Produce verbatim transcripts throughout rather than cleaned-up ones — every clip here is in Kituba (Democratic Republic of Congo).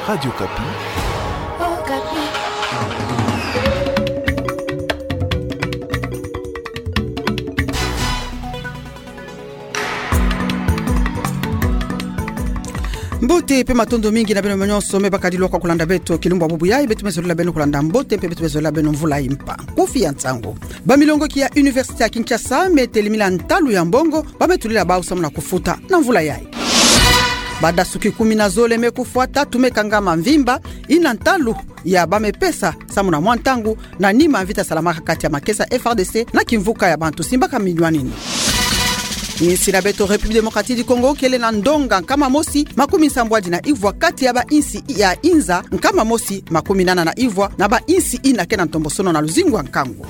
Radio Okapi. Mbote mpe matondo mingi na beno nyonso me bakadi lwa kwa kulanda beto kilumbu ya bubu yayi. Beto me zolila beno kulanda mbote mpe beto me zolila beno mvula impa. Kufi ya nsangu. Bamilongoki ya Université ya Kinshasa me telemila ntalu ya mbongo ba me tulila bau samu na kufuta na mvula yayi. Badasuki kumi na zole me kufwa, tatu me kangama mvimba, ina ntalu ya ba me pesa samu na mwa ntangu na nima mvita salamaka kati ya makesa F R D C na kimvuka ya bantu simbaka minwanini. Insi na beto République Démocratique du Congo kele na ndonga nkama mosi makumi nsambwadi na ivwa kati ya bainsi ya inza nkama mosi makumi nana na ivwa na bainsi ina ke na ntombosono na luzingu ya nkangu.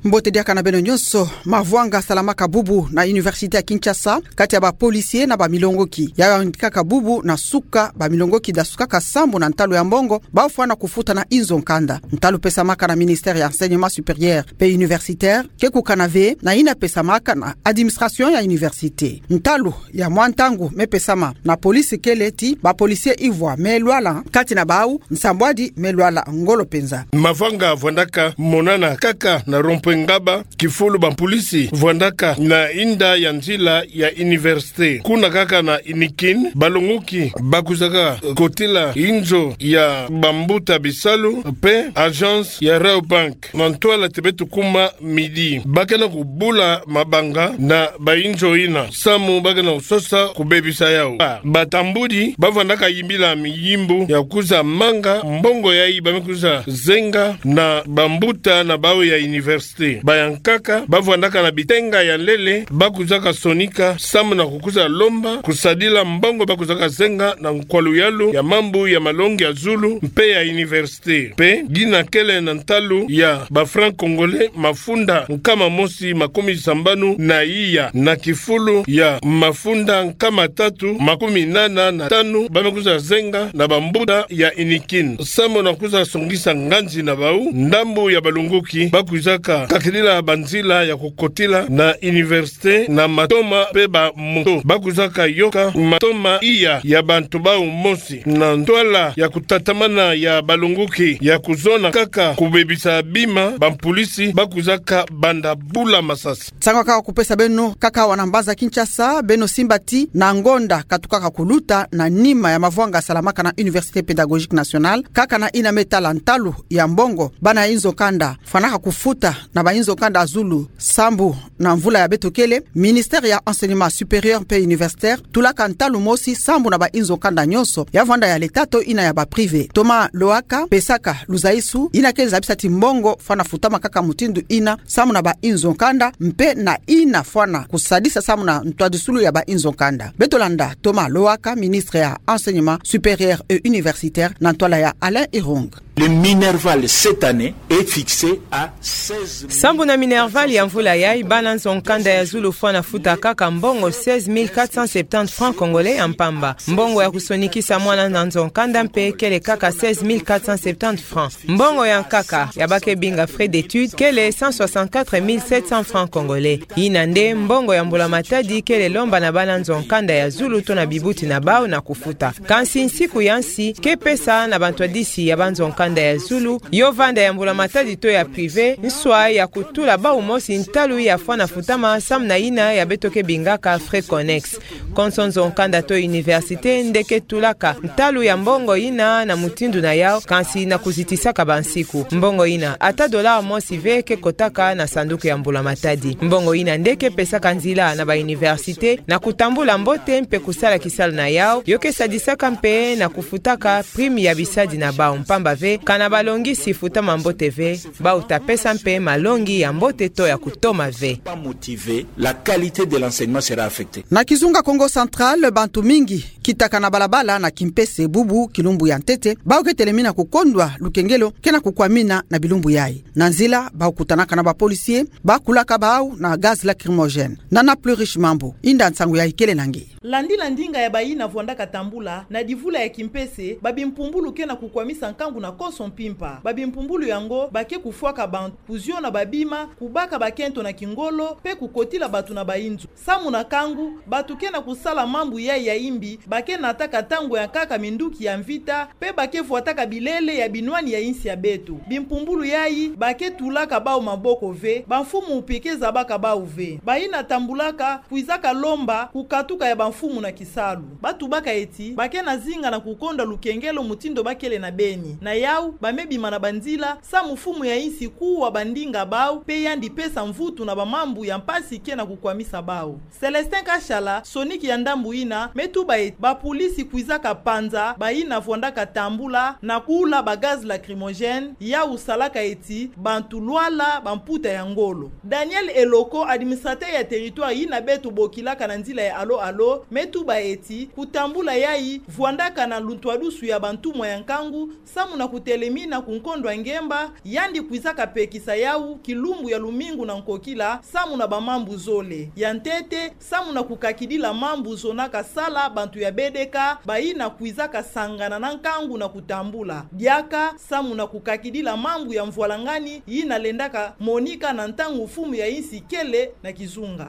Mbote diaka na beno nyonso. Mavwanga salamaka bubu na Université ya Kinshasa kati ya ba policiers na bamilongoki. Yayi yandikaka bubu na suka bamilongoki dasukaka sambu na ntalu ya mbongo bau fwana kufuta na inzo nkanda. Ntalu pesamaka na ministère ya Enseignement supérieur mpe universitaire, ke kukana ve na ina pesamaka na administration ya université. Ntalu ya mwa ntangu me pesama na police kele ti ba policiers ivwa me lwala, kati na bau nsambwadi me lwala ngolo mpenza. Mavanga vwandaka monana kaka na rond-point Ngaba, kifulu bampolisi vwandaka na inda ya nzila ya université. Kuna kaka na Inikin, balongoki bakwizaka kotila inzo ya bambuta bisalu mpe agence ya Rayobank. Na ntwala ti beto kuma midi, ba ke na kubula mabanga na bainzo ina samu ba ke na kusosa kubebisa yau. Ba, batambudi bavwandaka yimbila miyimbu ya kwiza manga mbongo yayi ba me kwiza zenga na bambuta na bau ya université. Bayankaka bavwandaka na bitenga ya lele ba kwizaka sonika samu na kukwiza lomba kusadila mbongo ba kwizaka zenga na nkwaluyalu ya mambu ya malongi ya zulu mpe ya université. Mpe gina kele na ntalu ya ba francs congolais mafunda nkama mosi makumi sambanu na iya na kifulu ya mafunda nkama tatu makumi nana na tanu ba me kwiza zenga na bambuta ya Inikin samu na kwiza songisa nganzi na bau. Ndambu ya balongoki ba kwizaka kakidila banzila ya kukotila na université na matoma mpe bamoto. Ba kwizaka yoka matoma iya ya bantu bau mosi. Na ntwala ya kutatamana ya balongoki ya kuzona kaka kubebisa bima, bampolisi ba kwizaka banda bula masasi. Nsangu kaka kupesa beno kaka awa na mbanza Kinshasa, beno simba ti na ngonda katukaka kuluta na nima ya mavwanga salamaka na Université Pédagogique Nationale, kaka na ina me tala ntalu ya mbongo bana inzo nkanda fwanaka kufuta na bainzo nkanda zulu sambu na mvula ya beto kele, ministère ya Enseignement supérieur mpe universitaire tulaka ntalu mosi sambu na bainzo nkanda nyonso, ya vwanda ya l'État to ina ya ba privés. Thomas Lohaka pesaka luzaisu ina ke zabisa ti mbongo fwana futama kaka mutindu ina samu na bainzo nkanda mpe na ina fwana kusadisa samu na ntwadisulu ya bainzo nkanda. Beto landa Thomas Lohaka, ministre ya Enseignement supérieur et universitaire, na ntwala ya Alain Irung. Le Minerval cette année est fixé à seize mille. Sambu na Minerval ya mvula yayi, bana nzo nkanda ya zulu fwana futa kaka mbongo seize mille quatre cent septante francs congolais ya mpamba. Mbongo ya kusonikisa mwana na nzo nkanda mpe kele kaka seize mille quatre cent septante francs. Mbongo ya nkaka ya ba ke binga frais d'études kele cent soixante-quatre mille sept cents francs congolais. Ina nde mbongo ya mbula matadi kele lomba na bana nzo nkanda ya zulu to na bibuti na bau na kufuta. Kansi nsiku ya nsi ke pesa na bantwadisi ya banzo nkanda ya zulu, yo vanda ya mbula matadi to ya privé, nswa ya kutula bau mosi ntalu ya fwana futama samu na ina ya beto ke bingaka frais connexes. Konso nzo nkanda to université nde ke tulaka ntalu ya mbongo ina na mutindu na yau, kansi na kuzitisaka bansiku. Mbongo ina, ata dollar mosi ve ke kotaka na sanduku ya mbula matadi. Mbongo ina nde ke pesaka nzila na ba université na kutambula mbote mpe kusala kisalu na yau, yo ke sadisaka mpe na kufutaka prime ya bisadi na bau, mpamba ve kana balongisi futama mbote ve, bau ta pesa mpe malongi ya mbote to ya kutoma ve. Pas motivé, la qualité de l'enseignement sera affectée. Na kizunga Kongo Central, bantu mingi kitaka na balabala na kimpese bubu kilumbu ya ntete, bau ke telemina kukondwa lukengelo ke na kukwamina na bilumbu yayi. Na nzila, bau kutanaka na ba policiers, ba kulaka bau na gaz lacrymogène. Nana Plurish Mambu, inda nsangu yayi kele na nge. Landila ndinga ya bayina vwandaka tambula, na divula ya kimpese, babimpumbulu ke na kukwamisa nkangu na konso mpimpa. Babimpumbulu yango, ba ke kufwaka bantu, kuziona babima, kubaka bakento na kingolo, pe kukotila bantu na bayinzo. Samu na nkangu, bantu ke na kusala mambu yayi ya imbi, ba ke nataka ntangu ya nkaka minduki ya mvita, pe ba ke vwataka bilele ya binwani ya insi ya beto. Bimpumbulu yayi, ba ke tulaka bawu maboko ve, bamfumu mpe ke zabaka bawu ve. Bayina tambulaka, kwizaka lomba, kukatuka ya bamfumu na kisalu. Ba tubaka ti, ba ke na zinga na kukonda lukengelo mutindu ba kele na beni. Na yawu, ba me bima na banzila, samu mfumu ya insi kuwa bandinga bawu, pe yandi pesa mvutu na bamambu ya mpasi ke na kukwamisa bawu. Célestin Kashala, soniki ya ndambu yina, me tuba ti, bapolisi kwizaka panza, bayina vwandaka tambula, na kula ba gaz lacrymogène, yawu salaka ti, bantu lwala, bamputa ya ngolo. Daniel Eloko, administrateur ya territoire yina beto bokilaka na nzila ya alo-alo, me tuba ti, kutambula yayi, vwandaka na luntwadusu ya bantumwa ya nkangu, samu na kutelemina ku nkondo ya ngemba, yandi kwizaka pekisa yawu, kilumbu ya lumingu na nkokila, samu na bamambu zole. Ya ntete, samu na kukakidila mambu zonaka sala bantu ya B D K, bayina kwizaka sangana na nkangu na kutambula. Diaka, samu na kukakidila mambu ya mvwalangani, yina lendaka monika na ntangu mfumu ya insi kele na kizunga.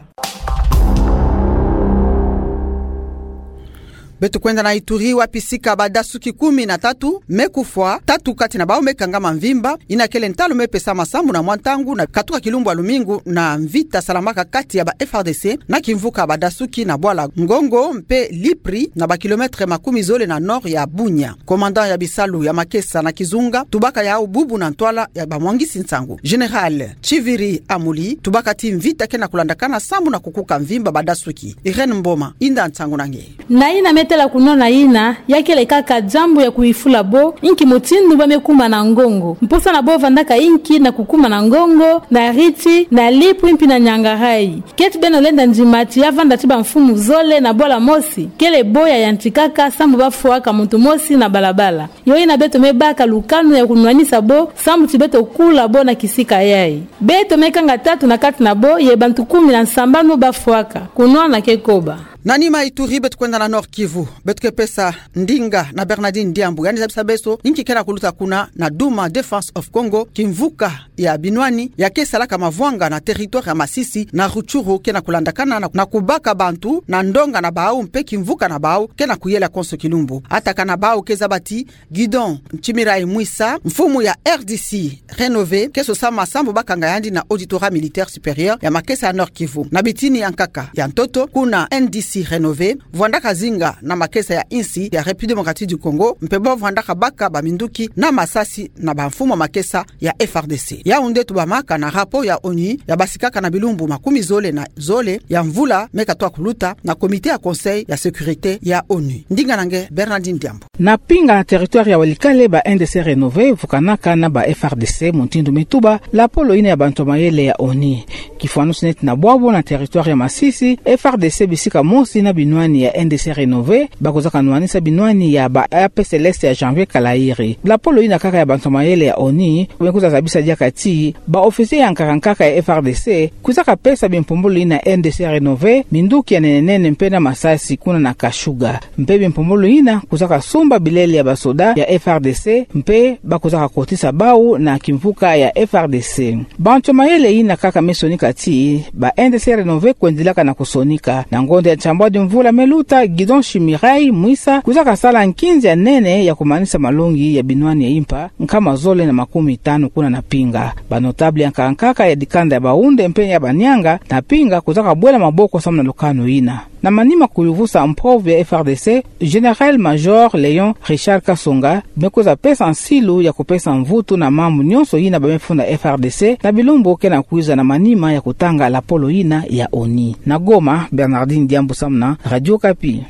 Beto kwenda na Ituri, wapi sika badasuki kumi na tatu me kufwa, tatu kati na bawu me kangama mvimba, yina kele ntalu me pesama samu na mwa ntangu na katuka kilumbu ya lumingu na mvita salamaka kati ya ba F R D C na kimvuka badasuki na bwala Ngongo mpe Lipri na ba kilomètre makumi zole na nord ya Bunia. Commandant ya bisalu ya makesa na kizunga tubaka yawu bubu na ntwala ya bamwangisi nsangu, Général Chiviri Amuli, tubaka ti mvita ke na kulandakana samu na kukuka mvimba badasuki. Irène Mboma, yinda nsangu na nge. Na yina me tala kunwana yina, ya kele kaka diambu ya kuyifula bo, inki mutindu ba me kuma na Ngongo. Mposa na bo vandaka inki na kukuma na Ngongo, na Riti, na Lipri mpe na Niangarayi. Keti beno lenda ndima ti ya vanda ti bamfumu zole na bwala mosi, kele bo ya yantikaka samu ba fwaka muntu mosi na balabala. Yo yina beto me baka lukanu ya kunwanisa bo, samu ti beto kula bo na kisika yayi. Beto me kanga tatu na kati na bo, ye bantu kumi na nsambanu ba fwaka. Kunwana ke koba. Na nima Ituri, beto kwenda na Nord-Kivu. Beto ke pesa ndinga na Bernardine Diambu. Yandi zabisa beso inki ke na kuluta kuna na Duma, Defense of Congo, kimvuka ya binwani, ya ke salaka mavwanga na territoire ya Masisi, na Rutshuru, ke na kulandakana na, na kubaka bantu na ndonga na bawu mpe kimvuka na bawu ke na kuyela konso kilumbu. Atakana bawu ke zaba ti Gidon Chimirai Mwisa, mfumu ya R D C Renové, ke sosa masambu bakanga yandi na Auditorat Militaire Supérieur ya makesa ya Nord-Kivu. Na bitini ya nkaka ya ntoto, kuna N D C Renové vwandaka zinga na makesa ya insi ya République Démocratique du Congo, mpe bo vwandaka baka baminduki na masasi na bamfumu ya makesa ya F R D C. Yawu nde tubamaka na rapport ya ONU ya basikaka na bilumbu makumi zole na zole ya mvula me katwa kuluta na Comité ya Conseil ya Sécurité ya ONU. Ndinga na nge Bernardine Diambu. Na Pinga, na territoire ya Walikale, ba N D C Renové vukanaka na ba F R D C, mutindu me tuba lapolo yina ya bantu mayele ya ONU. Kifwanusi neti na bwabo na territoire ya Masisi, F R D C bisika mosi na binwani ya N D C Renové, ba kwizaka nwanisa binwani ya ba A P C l'Est ya Janvier Kalairi. Lapolo yina kaka ya bantu mayele ya ONU me kwiza zabisa diaka ti ba officier ya nkaka nkaka ya F R D C kwizaka pesa bimpumbulu yina N D C Renové minduki ya nene nene mpe na masasi kuna na Kashuga. Mpe bimpumbulu yina kwizaka sumba bilele ya basoda ya F R D C, mpe ba kwizaka kotisa bawu na kimvuka ya F R D C. Bantu mayele yina kaka me sonika ti ba N D C Renové kwendilaka na kusonika. Na ngonda ya nsambwadi mvula me luta, Gidon Chimirai Mwisa kwizaka sala nkinzi ya nene ya kumanisa malongi ya binwani ya impa nkama zole na makumi tanu kuna na Pinga. Ba notable ya nkaka nkaka ya dikanda ya Baoundé mpe ya Banianga na Pinga kwizaka bwela maboko samu na lukanu yina. Na manima kuyuvusa mpove ya F R D C, Général-Major Léon Richard Kasonga me kwiza pesa nsilu ya kupesa mvutu na mambu nyonso yina ba me funda F R D C na bilumbu ke na kwiza na manima ya kutanga lapolo yina ya ONU. Na Goma, Bernardine Diambu samu na Radio Okapi.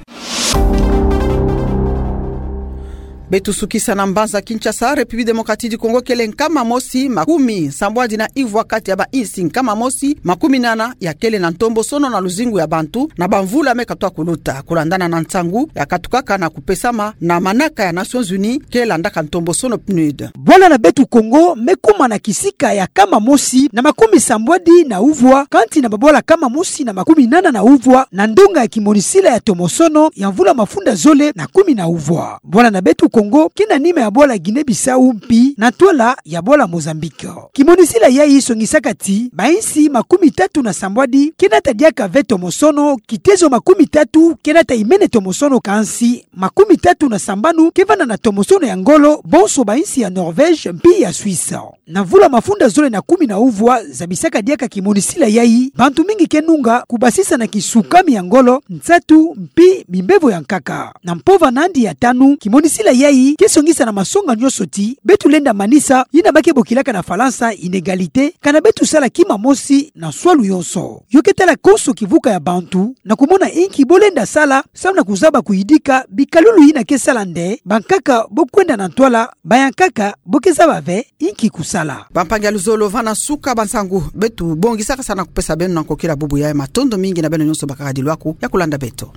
Beto sukisa na mbanza Kinshasa, République Démocratique du Congo kele nkama mosi makumi sambwadi na ivwa kati ya bainsi nkama mosi makumi nana ya kele na ntombosono na luzingu ya bantu na bamvula me katwa kuluta, kulandana na nsangu ya katukaka na kupesama na manaka ya Nations Unies ke landaka ntombosono PNUD. Bwala na beto Kongo me kuma na kisika ya kama mosi na makumi sambwadi na uvwa, kanti na babwala kama mosi na makumi nana na uvwa na ndonga ya kimonisila ya tomosono ya mvula mafunda zole na kumi na uvwa. Bwala na beto Kongo ke na nima ya bwala Guinée-Bissau mpi na ntwala ya bwala Mozambique. Kimonisila yayi songisaka ti bainsi makumi tatu na sambwadi ke nata diaka ve tomosono, kitezo makumi tatu ke nata imene tomosono, kansi makumi tatu na sambanu ke vanda na tomosono ya ngolo, bonso bainsi ya Norvège mpi ya Suisse. Na mvula mafunda zole na kumi na uvwa zabisaka diaka kimonisila yayi, bantu mingi ke nunga kubasisa na kisukami ya ngolo, nsatu mpi bimbevo ya nkaka. Na mpova na andi ya tanu, kimonisila yayi ke songisa na masonga nyonso ti beto lenda manisa yina ba ke bokilaka na Falansa inégalité, kana beto sala kima mosi na nswalu yonso. Yo ke tala konso kivuka ya bantu na kumona inki bo lenda sala, samu na kuzaba kuyidika bikalulu yina ke sala nde bankaka bo kwenda na ntwala, bayankaka bo ke zaba ve inki kusala. Bampangi ya luzolo, va na suka ba nsangu beto bongisaka sa na kupesa beno na nkokila bubu yayi. Matondo mingi na beno nyonso bakaka dilwaku ya kulanda beto.